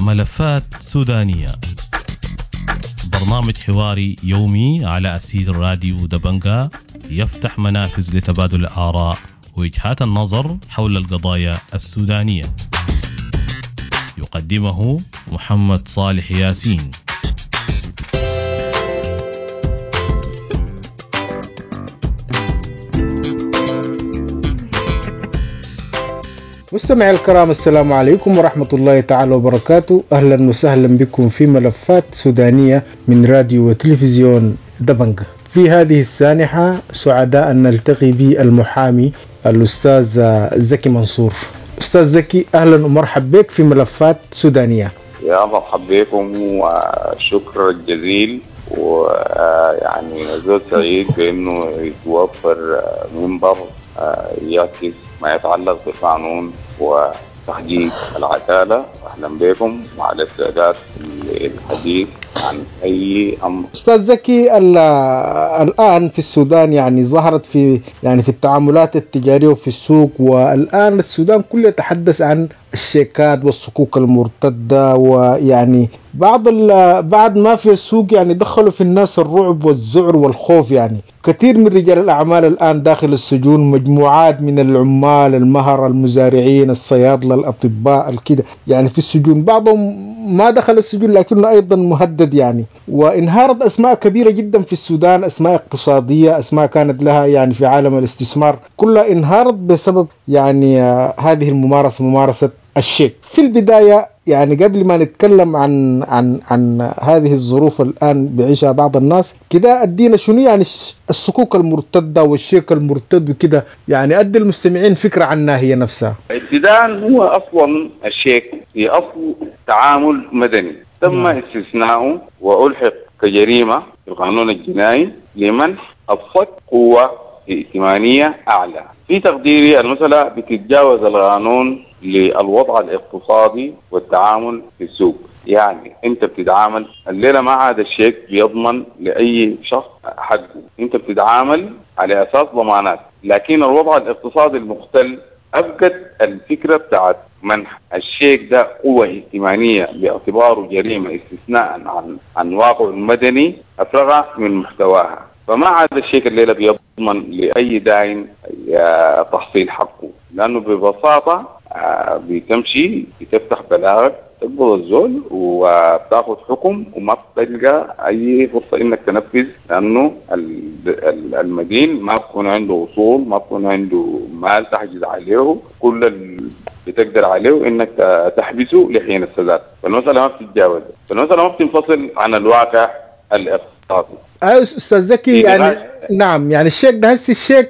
ملفات سودانية، برنامج حواري يومي على أسير راديو دبنجا، يفتح منافذ لتبادل الآراء ووجهات النظر حول القضايا السودانية. يقدمه محمد صالح ياسين. مستمعي الكرام، السلام عليكم ورحمة الله تعالى وبركاته. أهلا وسهلا بكم في ملفات سودانية من راديو وتلفزيون دبنجا. في هذه السانحة سعداء أن نلتقي بالمحامي الأستاذ زكي منصور. أستاذ زكي، أهلا ومرحب بك في ملفات سودانية. يا مرحب بكم وشكر جزيل، ويعني زول سعيد بأنه يتوفر منبر يعكس ما يتعلق بالقانون وتحقيق العدالة. أهلا بكم وعلى استعداد للحديث عن أي أمر. أستاذ زكي، الآن في السودان يعني ظهرت في في التعاملات التجارية وفي السوق، والآن السودان كله يتحدث عن الشيكات والصكوك المرتدة، ويعني بعد ما في السوق يعني دخلوا في الناس الرعب والذعر والخوف. يعني كثير من رجال الأعمال الآن داخل السجون، مجموعات من العمال، المهر، المزارعين، الصيادلة، الأطباء، الكده يعني في السجون. بعضهم ما دخل السجون لكنه أيضا مهدد يعني. وانهارت أسماء كبيرة جدا في السودان، أسماء اقتصادية، أسماء كانت لها يعني في عالم الاستثمار، كلها انهارت بسبب يعني هذه الممارسة، ممارسة الشيك. في البداية يعني قبل ما نتكلم عن عن عن هذه الظروف الآن بيعيشها بعض الناس كده، أدينا شنو يعني الصكوك المرتدة والشيك المرتد وكده، يعني أدي المستمعين فكرة عنها هي نفسها. ابتداء هو أصلا الشيك في أصل تعامل مدني تم استثناؤه وألحق كجريمة في القانون الجنائي لمنح الصك قوة ائتمانية أعلى. في تقديري المسألة بتتجاوز القانون للوضع الاقتصادي والتعامل في السوق. يعني انت بتتعامل الليلة ما عاد الشيك بيضمن لأي شخص حقه، انت بتتعامل على أساس ضمانات. لكن الوضع الاقتصادي المختل أفقد الفكرة بتاعت منح الشيك ده قوة ائتمانية باعتباره جريمة استثناء عن واقعه المدني، أفرغ من محتواها. فما عاد الشيك الليلة بيضمن لأي داين تحصيل حقه، لأنه ببساطة بتمشي بتفتح بلاغك، تقبض الزول وبتاخذ حكم، وما بتلقى اي فرصة انك تنفذ، لانه المدين ما بكون عنده اصول، ما بكون عنده مال تحجز عليه، كل اللي بتقدر عليه انك تحبسه لحين السداد. فالمسالة ما بتتجاوز، فالمسالة ما بتنفصل عن الواقع الاقتصادي. استاذ زكي، يعني نعم، يعني الشيك ده هسه الشيك،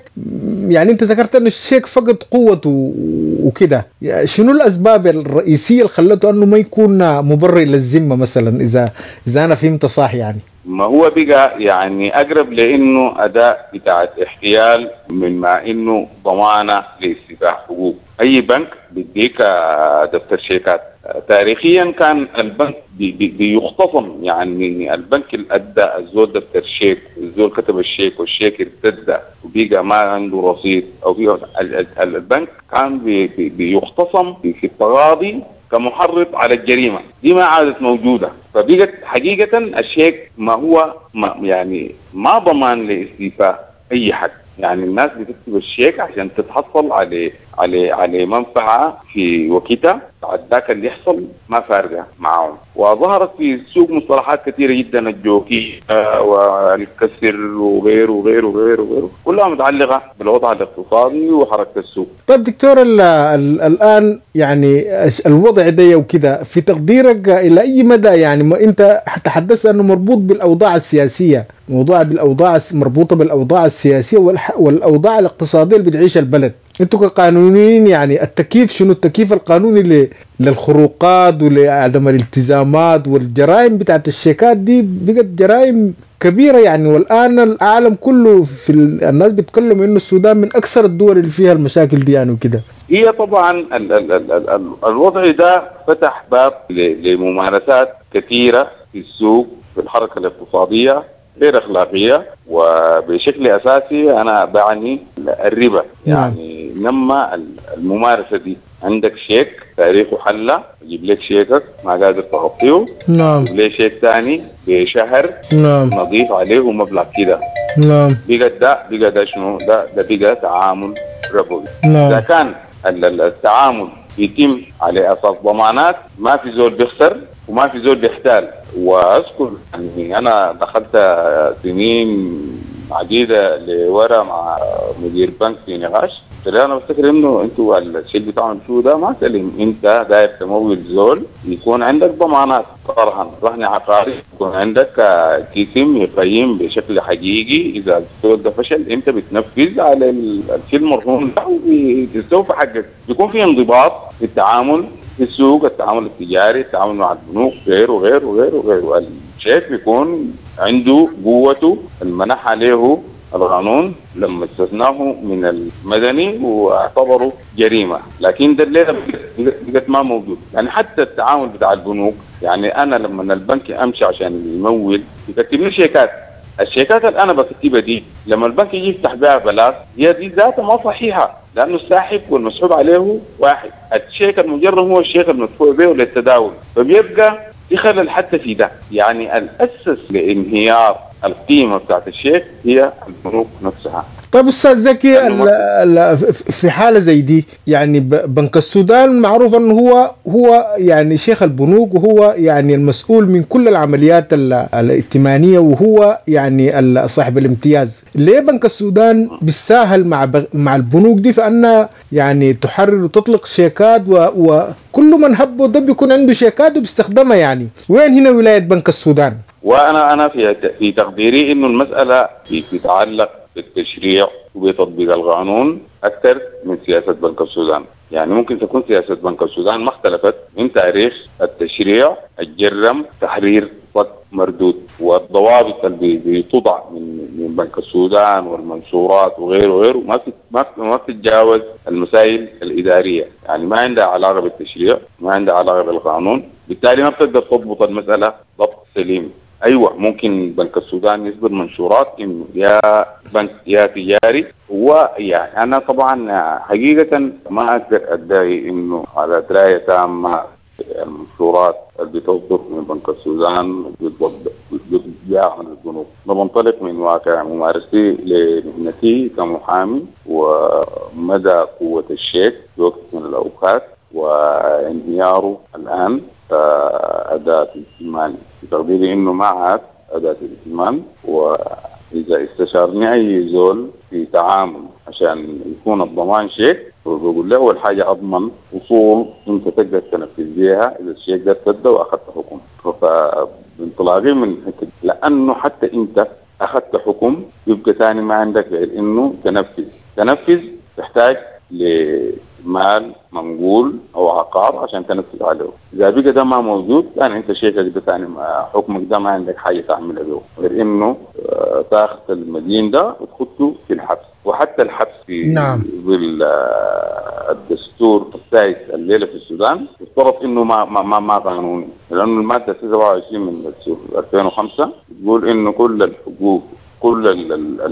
يعني انت ذكرت انه الشيك فقد قوته وكده، يعني شنو الاسباب الرئيسية اللي خلته انه ما يكون مبرر للذمة مثلا، اذا انا فهمت صح؟ يعني ما هو بقى يعني اقرب لانه اداء بتاعت احتيال مما انه ضمانه لاستيفاء حقوق. اي بنك بيديك دفتر شيكات. تاريخيا كان البنك بيختصم، يعني البنك اللي ادى الزول دفتر شيك، الزول كتب الشيك والشيك ارتد وبقى ما عنده رصيد، او بيقى البنك كان بيختصم في التغاضي كمحرض على الجريمة. دي ما عادت موجودة، فبقت حقيقة الشيك ما هو ما يعني ما ضمان لاستيفاء اي حق. يعني الناس بتكتب الشيك عشان تتحصل على على على منفعه في وقتها، بعد ذاك اللي يحصل ما فارقه معاهم. وظهرت في السوق مصطلحات كثيرة جدا، الجوكي والكسر وغيره وغيره وغيره وغيره، كلها متعلقه بالوضع الاقتصادي وحركه السوق. طيب دكتور، الان يعني الوضع ده وكده في تقديرك الى اي مدى، يعني ما انت تحدثت انه مربوط بالاوضاع السياسية، موضوع بالاوضاع مربوطة بالاوضاع السياسية والاوضاع الاقتصادية اللي بتعيشها البلد، انتوا كقانونيين يعني التكييف شنو؟ التكييف القانوني للخروقات ولعدم الالتزامات والجرائم بتاعت الشيكات دي بقت جرائم كبيرة يعني. والآن العالم كله في الناس بيتكلموا انه السودان من اكثر الدول اللي فيها المشاكل دي يعني وكده. هي طبعا ال ال ال ال الوضع ده فتح باب لممارسات كثيرة في السوق، في الحركة الاقتصادية غير اخلاقية، وبشكل اساسي انا بعني الربا. يعني نمى الممارسة دي. عندك شيك تاريخه حلة، يجيب لك شيكك ما قادر تغطيه، يجيب لك شيك ثاني بشهر، نضيف عليه مبلغ كده، بقى ده شنو؟ ده بقى تعامل ربوي. إذا كان التعامل يتم على أساس ضمانات، ما في زول بيخسر وما في زول بيحتال. وأذكر يعني أنا دخلت سنين عديدة لورا مع مدير بنك في نقاش، قلت له أنا بفتكر إنه أنتوا الشيء اللي بتعملوا فيه ده ما سليم، أنت داير تمول زول يكون عندك ضمانات، رهن عقاري، يكون عندك جسم يقيم بشكل حقيقي، إذا الزول ده فشل أنت بتنفذ على الشيء المرهون ده وبتستوفى حقك. بيكون في انضباط في التعامل في السوق، التعامل التجاري، التعامل مع البنوك، غيره وغيره وغيره وغيره. الشيك بيكون عنده قوته المنح عليه القانون لما استثناه من المدني واعتبره جريمة، لكن ده الليلة بقت ما موجود. يعني حتى التعامل بتاع البنوك، يعني أنا لما البنك أمشي عشان يمول يكتب لي شيكات، الشيكات اللي أنا بكتبها دي لما البنك يجي يفتح بها بلاغ هي دي ذاتها ما صحيحة، لأنه الساحب والمسحوب عليه واحد، الشيك المجرم هو الشيك المدفوع به للتداول، فبيبقى في خلل حتى في ده. يعني الأسس لانهيار القيمة بتاعت الشيك هي البنوك نفسها. طيب أستاذ زكي، في حالة زي دي يعني بنك السودان معروف أنه هو يعني شيخ البنوك، وهو يعني المسؤول من كل العمليات الائتمانية، وهو يعني صاحب الامتياز. ليه بنك السودان بالساهل مع البنوك دي فأنها يعني تحرر وتطلق شيكات، وكل من هب ودب بيكون عنده شيكات وبيستخدمها؟ يعني وين هنا ولاية بنك السودان؟ وأنا في تقديري إنه المسألة تتعلق بالتشريع وبتطبيق القانون أكثر من سياسة بنك السودان. يعني ممكن تكون سياسة بنك السودان ما اختلفت من تاريخ التشريع الجرم تحرير صك مردود، والضوابط اللي بتوضع من بنك السودان والمنشورات وغيره وغيره ما بتتجاوز المسائل الإدارية، يعني ما عندها علاقة بالتشريع، ما عندها علاقة بالقانون، بالتالي ما بتقدر تضبط المسألة ضبط سليم. ايوه ممكن بنك السودان يصدر منشورات انه يا بنك يا تجاري، ويعني انا طبعا حقيقة ما اقدر ادعي انه على دراية تامة المنشورات اللي بتصدر من بنك السودان بتتباع من البنوك. انا بنطلق من واقع ممارستي لمهنتي كمحامي ومدى قوة الشيك في وقت من الاوقات وانهياره الان كأداة ائتمان. في تقديري انه ما عاد أداة ائتمان، واذا استشارني اي زول في تعامل عشان يكون الضمان شيك، بقول له اول حاجة اضمن اصول انت تقدر تنفذ بيها اذا الشيك ده ارتد واخذت حكم. فبانطلاقي من حتة، لانه حتى انت اخذت حكم يبقى ثاني ما عندك غير انه تنفذ تحتاج لمال منقول او عقار عشان تنفذ عليه. اذا بقى ده ما موجود يعني انت شيكك ده ثاني حكمك ده ما عندك حاجة تعملها به غير انه تاخذ المدين ده وتخطه في الحبس. وحتى الحبس في ظل الدستور السائد الليلة في السودان يفترض انه ما ما ما, ما قانوني، لانه المادة 27 من دستور 2005 بتقول انه كل الحقوق كل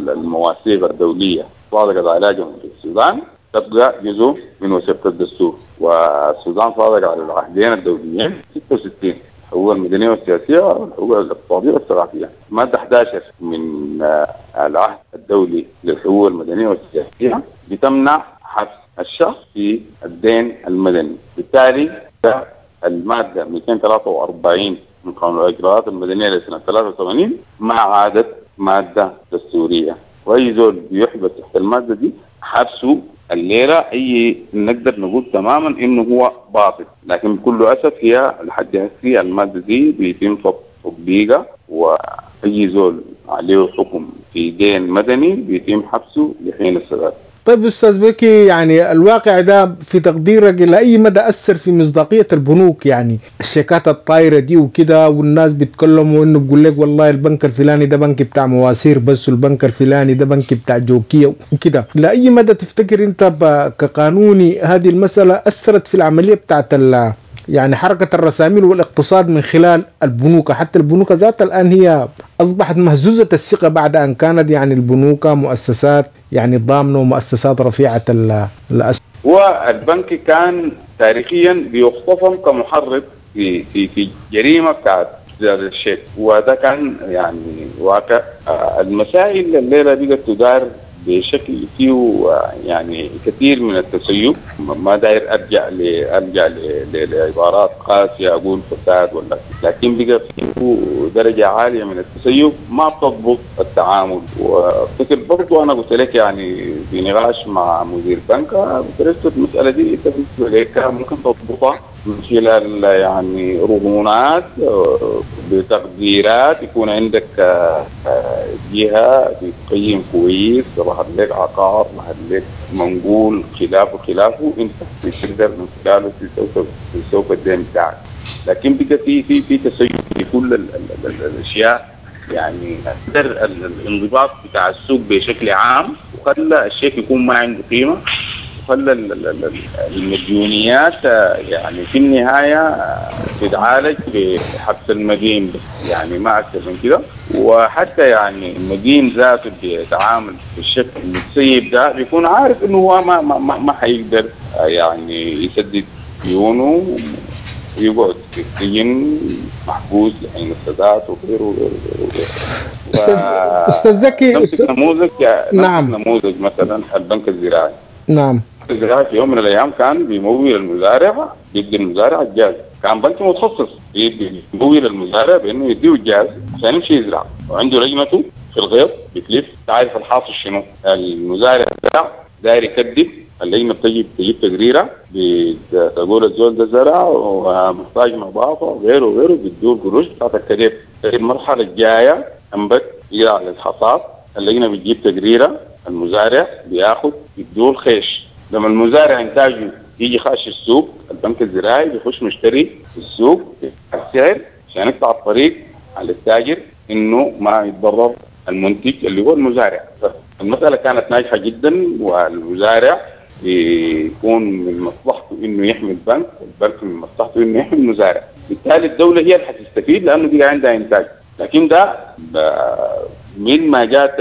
المواثيق الدولية صادقت على جمهورية السودان تبقى جزء من وثيقة الدستور، والسودان صادق على العهدين الدوليين 66 الحقوق المدنية والسياسية والحقوق الاقتصادية والثقافية. مادة 11 من العهد الدولي للحقوق المدنية والسياسية بتمنع حبس الشخص في الدين المدني، بالتالي المادة 243 من قانون الإجراءات المدنية لسنة 83 ما عادت مادة دستورية، وأي زول بيحبس تحت المادة دي حبسه الليلة أي نقدر نقول تماما إنه هو باطل. لكن بكل أسف هي لحد هسه المادة دي بيتم تطبيقها، وأي زول عليه حكم في دين مدني بيتم حبسه لحين السداد. طيب أستاذ بكي، يعني الواقع ده في تقديرك إلى أي مدى أثر في مصداقية البنوك؟ يعني الشيكات الطايرة دي وكده، والناس بيتكلموا إنه بيقول لك والله البنك الفلاني ده بنك بتاع مواسير بس، والبنك الفلاني ده بنك بتاع جوكية وكده. إلى أي مدى تفتكر أنت كقانوني هذه المسألة أثرت في العملية بتاعت يعني حركة الرساميل والاقتصاد من خلال البنوك. حتى البنوك ذاتها الآن هي أصبحت مهزوزة الثقة بعد أن كانت يعني البنوك مؤسسات يعني ضامنة ومؤسسات رفيعة الأسهم. والبنك كان تاريخيا بيختصم كمحرض في في في جريمة بتاعت زيادة الشيك، وده كان يعني واقع. المسائل الليلة بقت تدار بشكل فيه يعني كثير من التسيب. ما داير ارجع لعبارات قاسية اقول فساد ولا، لكن بقى فيه درجه عالية من التسيب ما بتضبط التعامل. وافتكر برضه انا قلت لك يعني في نقاش مع مدير بنك قلت المسالة دي انت بالنسبة لك ممكن تضبطها من خلال يعني رهونات بتقديرات، يكون عندك جهة بتقيم كويس، ظهر لك عقار، ظهر لك منقول، خلافه خلافه، انت بتقدر من خلاله تسوق الدين بتاعك. لكن بقى في في في تسيب في كل ال ال ال الاشياء، يعني قدر الانضباط بتاع السوق بشكل عام، وخلى الشيك يكون ما عنده قيمة، وخلى المديونيات يعني في النهاية تتعالج بحبس المدين، يعني ما اكثر من كده. وحتى يعني المدين ذاته بيتعامل بالشكل المتسيب ده بيكون عارف انه هو ما ما ما, ما حيقدر يعني يسدد ديونه ويقعد في السجن محبوس لحين السداد وغيره وغيره وغيره. استاذ زكي، نموذج، نعم، نموذج مثلا البنك الزراعي. نعم، الزراعي في يوم من الايام كان بيمول المزارع، بيدي المزارع الجاز، كان بنك متخصص بيمول المزارع بانه يديه الجاز عشان يمشي يزرع، وعنده لجنته في الغيط بتلف تعرف الحاصل شنو. المزارع زرع داير يكذب، اللجنة بتجي تجيب تقريره بتقول الزول ده زرع ومحتاج نظافة وغيره وغيره، بتدور قروش بتاعت الكذب. المرحلة الجاية انبت يزرع للحصاد، اللجنة بتجيب تقريره، المزارع بياخد يدور خيش. لما المزارع انتاجه يجي خاش السوق، البنك الزراعي بيخش مشتري السوق السعر عشان يقطع الطريق على التاجر انه ما يتضرر المنتج اللي هو المزارع. المسالة كانت ناجحة جدا، والمزارع بيكون من مصلحته انه يحمي البنك، والبنك من مصلحته انه يحمي المزارع. بالتالي الدولة هي اللي حتستفيد لانه بقى عندها انتاج. لكن ده من ما جات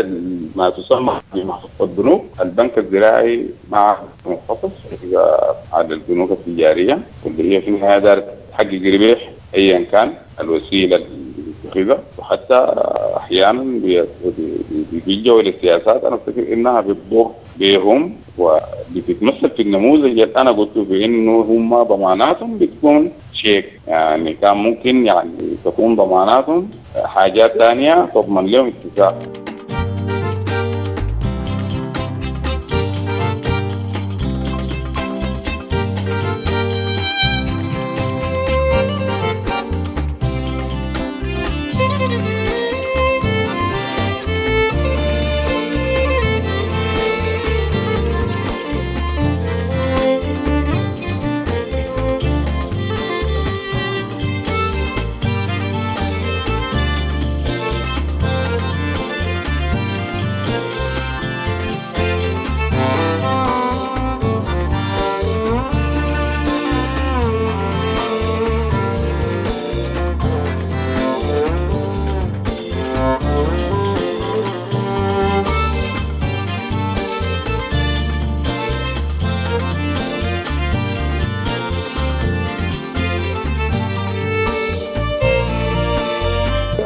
ما تسمى بمحفظة البنوك، البنك الزراعي مع متخصص على البنوك التجارية واللي هي في النهاية دارت تحقق ربح ايا كان الوسيلة اللي بتتخذها، وحتى احيانا بيجوا للسياسات انا افتكر انها بتضر بهم، وبتتمثل في النموذج اللي انا قلته في انه هم ضماناتهم بتكون شيك، يعني كان ممكن يعني تكون ضماناتهم حاجات ثانية تضمن لهم اتفاق.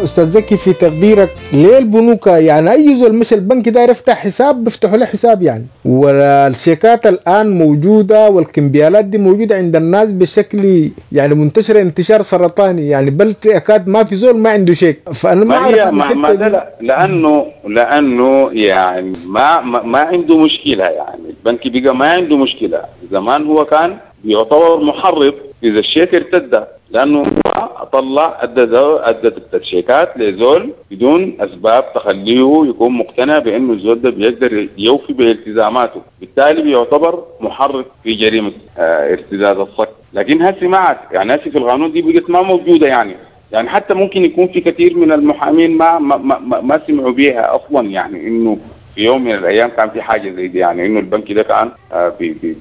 استاذ زكي، في تقديرك ليه البنوك يعني اي زول مش البنك داير يفتح حساب بيفتحوا له حساب يعني، والشيكات الان موجودة والكمبيالات دي موجودة عند الناس بشكل يعني منتشرة انتشار سرطاني، يعني بل اكاد ما في زول ما عنده شيك. فانا ما اعرف ما ده لانه يعني ما عنده مشكلة، يعني البنك بقى ما عنده مشكلة. زمان هو كان بيعتبر محرض اذا الشيك ارتد، لانه طلع ادى الشيكات لزول بدون اسباب تخليه يكون مقتنع بانه الزول ده بيقدر يوفي بالتزاماته، بالتالي بيعتبر محرض في جريمة ارتداد الصك. لكن هسه ما عاد، يعني هسه في القانون دي بقت ما موجودة، يعني حتى ممكن يكون في كثير من المحامين ما ما ما, ما سمعوا بيها اصلا، يعني انه في يوم من الايام كان في حاجة زي دي، يعني انه البنك ده كان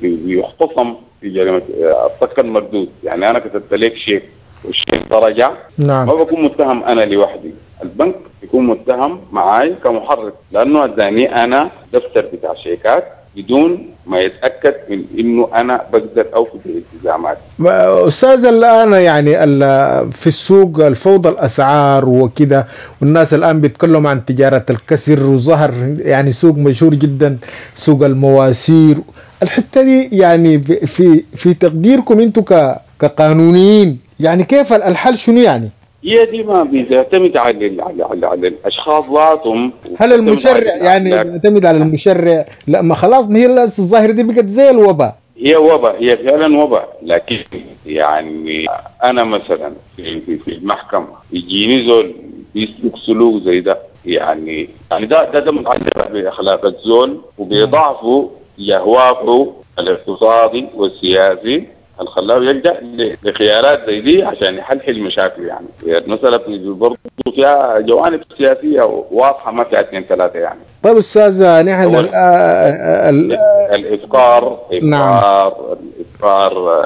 بيختصم في جريمة الصك المردود. يعني انا كتبت لك شيك والشيك ده رجع، نعم، ما بكون متهم انا لوحدي، البنك يكون متهم معاي كمحرض، لانه اداني انا دفتر بتاع شيكات بدون ما يتاكد من انه انا بقدر اوفي بالالتزامات. استاذ الان يعني في السوق الفوضى الاسعار وكده، والناس الان بيتكلموا عن تجارة الكسر، وظهر يعني سوق مشهور جدا سوق المواسير. الحتة دي يعني في تقديركم انتم كقانونيين يعني كيف الحل شنو يعني؟ هي دي ما بتعتمد على على الاشخاص ذاتهم. هل المشرع يعني بيعتمد على المشرع؟ لا ما خلاص، ما هي الظاهرة دي بقت زي الوباء. هي وباء، هي فعلا وباء. لكن يعني انا مثلا في المحكمة يجيني زول بيسلك سلوك زي ده، يعني ده متعلق باخلاق الزول وبضعفه لهوافه الاقتصادي والسياسي اللي خلاه يلجأ لخيارات زي دي عشان يحلحل مشاكله. يعني المسألة برضه فيها جوانب سياسية واضحة، ما فيها اثنين ثلاثة يعني. طيب أستاذ، نحن الإفقار، نعم، إفقار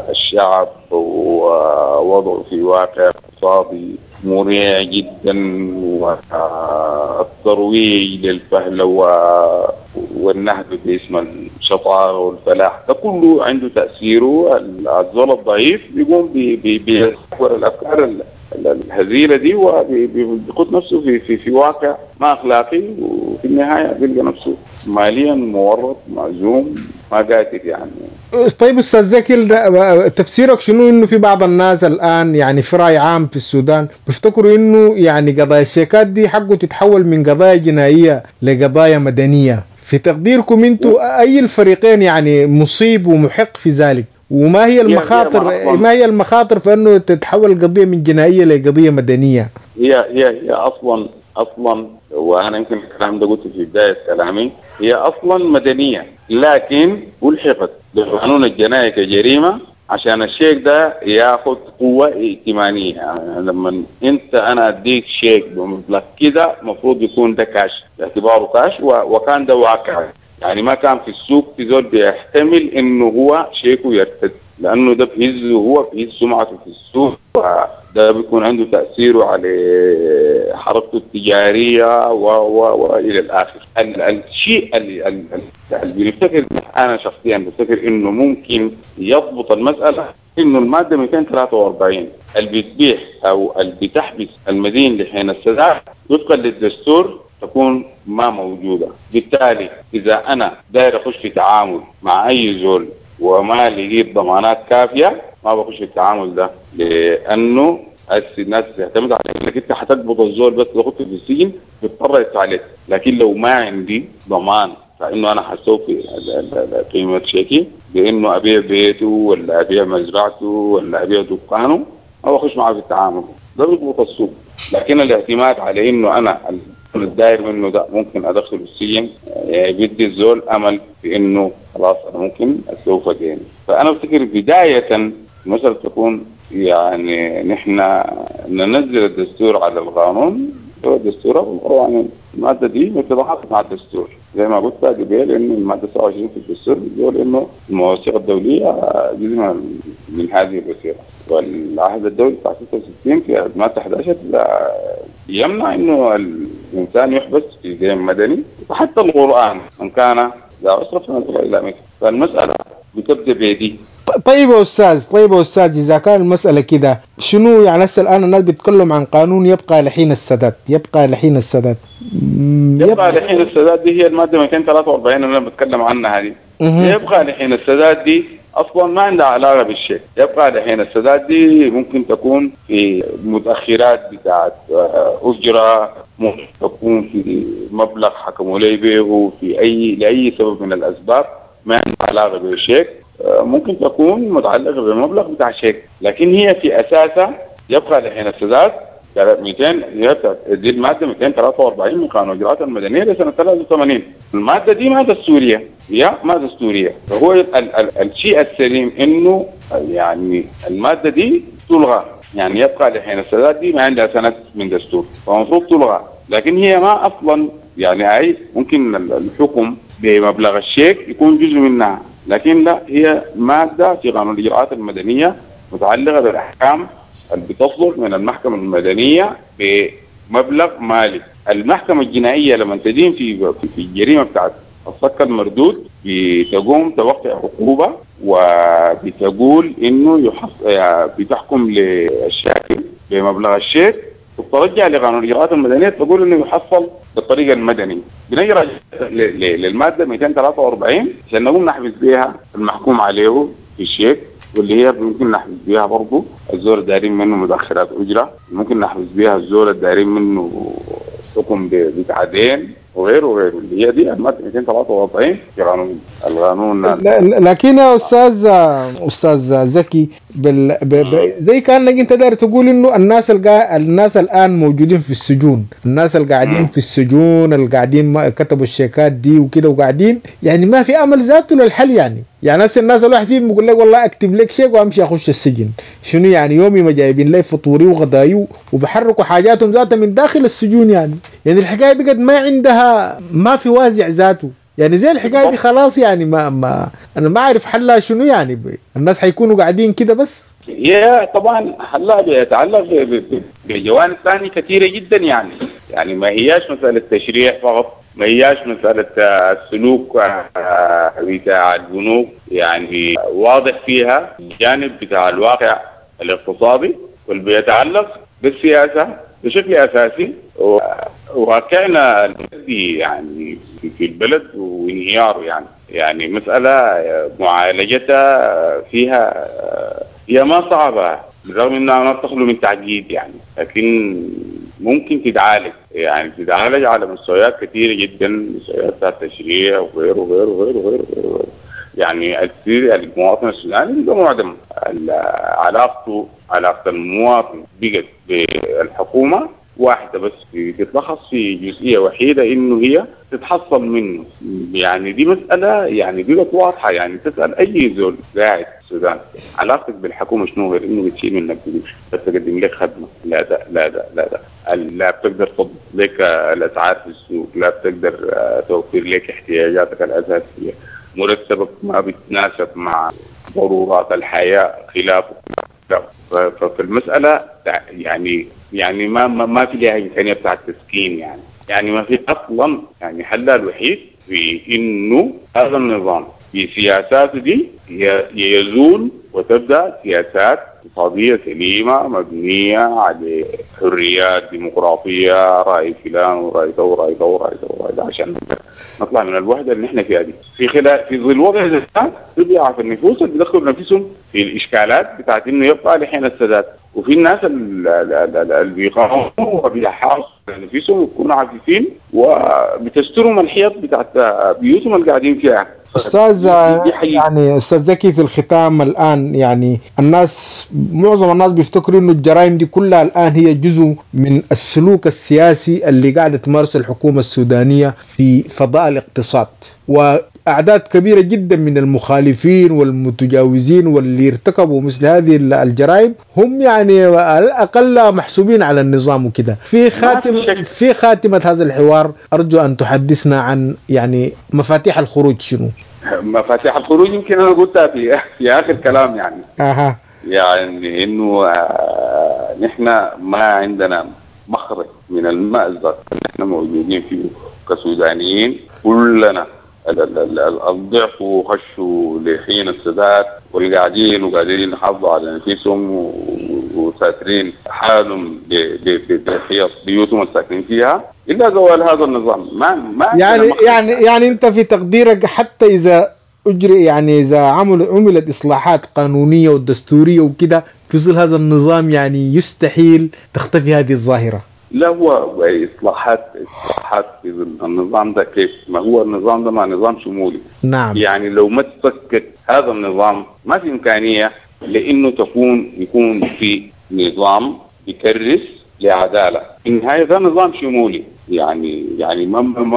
الشعب ووضعه في واقع اقتصادي مريع جدا، والترويج للفهلوة والنهب باسم الشطارة والفلاح، ده كله عنده تأثيره. الزول الضعيف بيقوم بيحور الأفكار الهزيلة دي وبيخط نفسه في في في واقع ما أخلاقي، وفي النهاية بيلقى نفسه ماليا مورط معزوم ما قادر يعني. طيب أستاذ زكي، تفسيرك شنو إنه في بعض الناس الآن يعني في رأي عام في السودان بيفتكروا إنه يعني قضايا الشيكات دي حقه تتحول من قضايا جنائية لقضايا مدنية؟ في تقديركم أنتوا أي الفريقين يعني مصيب ومحق في ذلك؟ وما هي المخاطر، ما هي المخاطر في انه تتحول القضية من جنائية لقضيه مدنية؟ هي هي هي اصلا وانا يمكن الكلام ده قلته في بداية كلامي، هي اصلا مدنية، لكن الحقت بالقانون الجنائي كجريمه عشان الشيك ده ياخذ قوة ائتمانيه. يعني لما انت انا اديك شيك بمبلغ كده المفروض يكون ده كاش، باعتباره كاش، وكان ده واقع. يعني ما كان في السوق في زول بيحتمل انه هو شيكه يرتد، لانه ده بيهز، هو بيهز سمعته في السوق، ده بيكون عنده تاثيره على حركته التجارية والى الاخر. الشيء اللي بنفتكر، انا شخصيا بفتكر انه ممكن يضبط المسالة، انه المادة 243 اللي بتبيح او اللي بتحبس المدين لحين السداد وفقا للدستور تكون ما موجودة. بالتالي إذا أنا داير أخش في تعامل مع أي زول وما لقيت ضمانات كافية ما بخش في التعامل ده، لأنه الناس تعتمد على إنك أنت حتقبض الزول بس تاخده في السجن بيضطر يدفع عليك. لكن لو ما عندي ضمان فإنه أنا حسوف قيمة شيكي بإنه أبيع بيته ولا أبيع مزرعته ولا أبيع دكانه أو أخش معه في التعامل ده بيضبط السوق. لكن الاعتماد على إنه أنا الداير منه ده ممكن ادخله السجن، يعني بيدي الزول امل في انه خلاص انا ممكن استوفى ديني. فانا افتكر بداية المسالة تكون يعني نحن ننزل الدستور على القانون، هو الدستور او القوانين. المادة دي متضافه مع الدستور زي ما قلت قبل، انه المادة 27 في الدستور بتقول انه المواثيق الدولية جزء من هذه الوثيقة، والعهد الدولي بتاع 66 في المادة 11 يمنع انه الانسان يحبس في دين مدني، وحتى القران من كان ذا عسره فنظر الى مثله. فالمسالة بتبدا بيدي. طيب يا استاذ، طيب يا استاذ، اذا كان المسالة كده شنو يعني؟ هسه الان الناس بيتكلم عن قانون يبقى لحين السداد، يبقى لحين السداد، يبقى لحين السداد دي هي المادة 243 اللي انا بتكلم عنها دي. يبقى لحين السداد دي اصلا ما عندها علاقة بالشيك. يبقى لحين السداد دي ممكن تكون في متاخرات بتاعت اجره، ممكن تكون في مبلغ حكموا لي به في اي لاي سبب من الاسباب ما عندها علاقة بالشيك، ممكن تكون متعلقه بمبلغ بتاع شيك، لكن هي في اساسها يبقى لحين السداد 200. دي المادة 243 من قانون الاجراءات المدنية لسنه 83. المادة دي ما دستورية، هي ما دستورية. فهو الشيء السليم انه يعني المادة دي تلغى، يعني يبقى لحين السداد دي ما عندها سند من دستور، فالمفروض تلغى. لكن هي ما اصلا يعني اي ممكن الحكم بمبلغ الشيك يكون جزء منها، لكن لا، هي مادة في قانون الاجراءات المدنية متعلقه بالاحكام اللي بتصدر من المحكمة المدنية بمبلغ مالي. المحكمة الجنائية لما تدين في الجريمة بتاعت الصك المردود بتقوم توقع عقوبه، وبتقول انه بتحكم للشاكي بمبلغ الشيك، وترجع لقانون الاجراءات المدنية تقول انه يحصل بالطريقة المدنية. بنجي للمادة 243 عشان نقوم نحبس بها المحكوم عليه في الشيك، واللي هي ممكن نحبس بها برضه الزول الدارين منه مدخرات اجره، ممكن نحبس بها الزول الدارين منه حكم بتعدين وغيره وغيره، اللي هي دي المادة 243 في قانون القانون. لكن يا استاذ زكي زي كانك انت داير تقول انه الناس الان موجودين في السجون، الناس اللي قاعدين في السجون، اللي قاعدين كتبوا الشيكات دي وكده وقاعدين، يعني ما في امل ذاته للحل. يعني الناس الواحد فيهم بيقول لك والله اكتب لك شيك وامشي اخش السجن، شنو يعني يومي ما جايبين لي فطوري وغداي وبحركوا حاجاتهم ذاتها من داخل السجون. يعني الحكاية بقت ما عندها، ما في وازع ذاته، يعني زي الحكاية دي خلاص، يعني ما انا ما اعرف حلها شنو. يعني الناس حيكونوا قاعدين كده بس. هي طبعا حلها بيتعلق بجوانب ثانية كثيرة جدا، يعني ما هياش مسالة تشريع فقط، ما هياش مسالة السلوك بتاع البنوك، يعني واضح فيها الجانب بتاع الواقع الاقتصادي واللي بيتعلق بالسياسة بشكل اساسي، وواقعنا المادي يعني في البلد وانهياره. يعني مسألة معالجتها فيها هي ما صعبة، بالرغم انها ما بتخلو من تعقيد يعني، لكن ممكن تتعالج، يعني تتعالج على مستويات كثيرة جدا، مستويات بتاع التشريع وغيره وغيره وغيره وغيره. يعني المواطن السوداني بقى معدم علاقته، علاقة المواطن بقت بالحكومة واحدة بس، تتلخص في جزئية وحيدة إنه هي تتحصل منه. يعني دي مسألة يعني بقت واضحة، يعني تسأل أي زول قاعد في السودان علاقتك بالحكومة شنو غير إنه بتشيل منك قروش، بس تقدم لك خدمة، لا ده لا ده لا ده، لا بتقدر تضبط لك الأسعار في السوق، لا بتقدر توفر لك احتياجاتك الأساسية، مرتبك ما بيتناسب مع ضرورات الحياة خلافه. ففي المسألة يعني ما في لها إمكانية بتاعت تسكين، يعني ما في أصلا. يعني حلها الوحيد في إنه هذا النظام في سياساته دي يزول وتبدأ سياسات اقتصادية سليمة مبنية على حريات ديمقراطية، رأي فلان ورأي ده ورأي ده ورأي ده ورأي ده، عشان نطلع من الوحدة اللي احنا فيها دي. في ظل وضع ده تضيع في النفوس اللي بيدخلوا نفسهم في الإشكالات بتاعت إنه يبقى لحين السداد، وفي الناس اللي بيقاوموا وبيحاصروا نفسهم ويكونوا عفيفين وبتسترهم الحيط بتاعت بيوتهم اللي قاعدين فيها. أستاذ يعني أستاذ زكي، في الختام الآن يعني الناس، معظم الناس بيفتكروا إنه الجرائم دي كلها الآن هي جزء من السلوك السياسي اللي قاعدة تمارسه الحكومة السودانية في فضاء الاقتصاد، وأعداد كبيرة جدا من المخالفين والمتجاوزين واللي ارتكبوا مثل هذه الجرائم هم يعني على الأقل محسوبين على النظام وكده. في خاتمة هذا الحوار أرجو أن تحدثنا عن يعني مفاتيح الخروج شنو؟ مفاتيح الخروج يمكن أنا قلتها في آخر كلام، يعني يعني إنه نحن ما عندنا مخرج من المأزق اللي نحن موجودين فيه كسودانيين كلنا، الضعف وخشوا لحين السداد والقاعدين وقاعدين يحافظوا على نفسهم وساترين حالهم بحيط بيوتهم الساكنين فيها الا زوال هذا النظام. ما يعني انت في تقديرك حتى اذا اجري، يعني اذا عملت اصلاحات قانونية ودستوريه وكده في ظل هذا النظام يعني يستحيل تختفي هذه الظاهرة؟ لا، هو اصلاحات في النظام ده كيف؟ ما هو النظام ده ما نظام شمولي. نعم. يعني لو ما تفكت هذا النظام ما في امكانية لانه يكون في نظام يكرس لعداله. في النهاية ده نظام شمولي، يعني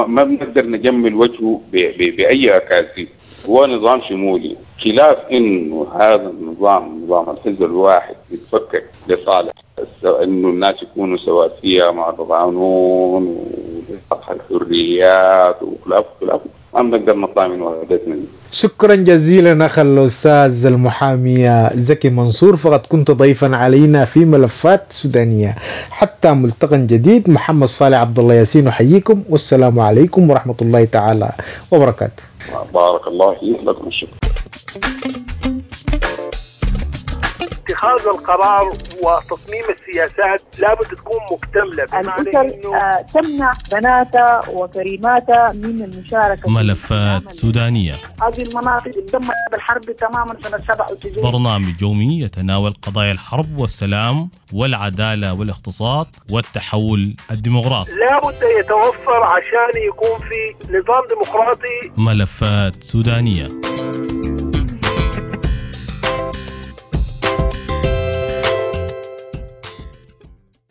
ما بنقدر نجمل وجهه باي اكاذيب. هو نظام شمولي، خلاف انه هذا النظام نظام الحزب الواحد يتفكك لصالح انه الناس يكونوا سواسية مع القانون وطرح الحريات وخلاف خلاف، ما بنقدر نطلع من وحدتنا دي. شكرا جزيلا أخ الأستاذ المحامي زكي منصور، فقد كنت ضيفا علينا في ملفات سودانية. حتى ملتقى جديد، محمد صالح عبد الله ياسين أحييكم، والسلام عليكم ورحمة الله تعالى وبركاته. بارك الله فيك، لكم الشكر. اتخاذ القرار وتصميم السياسات لابد تكون مكتملة، بمعنى الأسر إنه تمنع بناتها وكريماتها من المشاركة في ملفات العمل. سودانية، هذه المناطق اتدمرت بالحرب تماما سنة 97. برنامج يومي يتناول قضايا الحرب والسلام والعدالة والاقتصاد والتحول الديمقراطي. لابد يتوفر عشان يكون في نظام ديمقراطي. ملفات سودانية.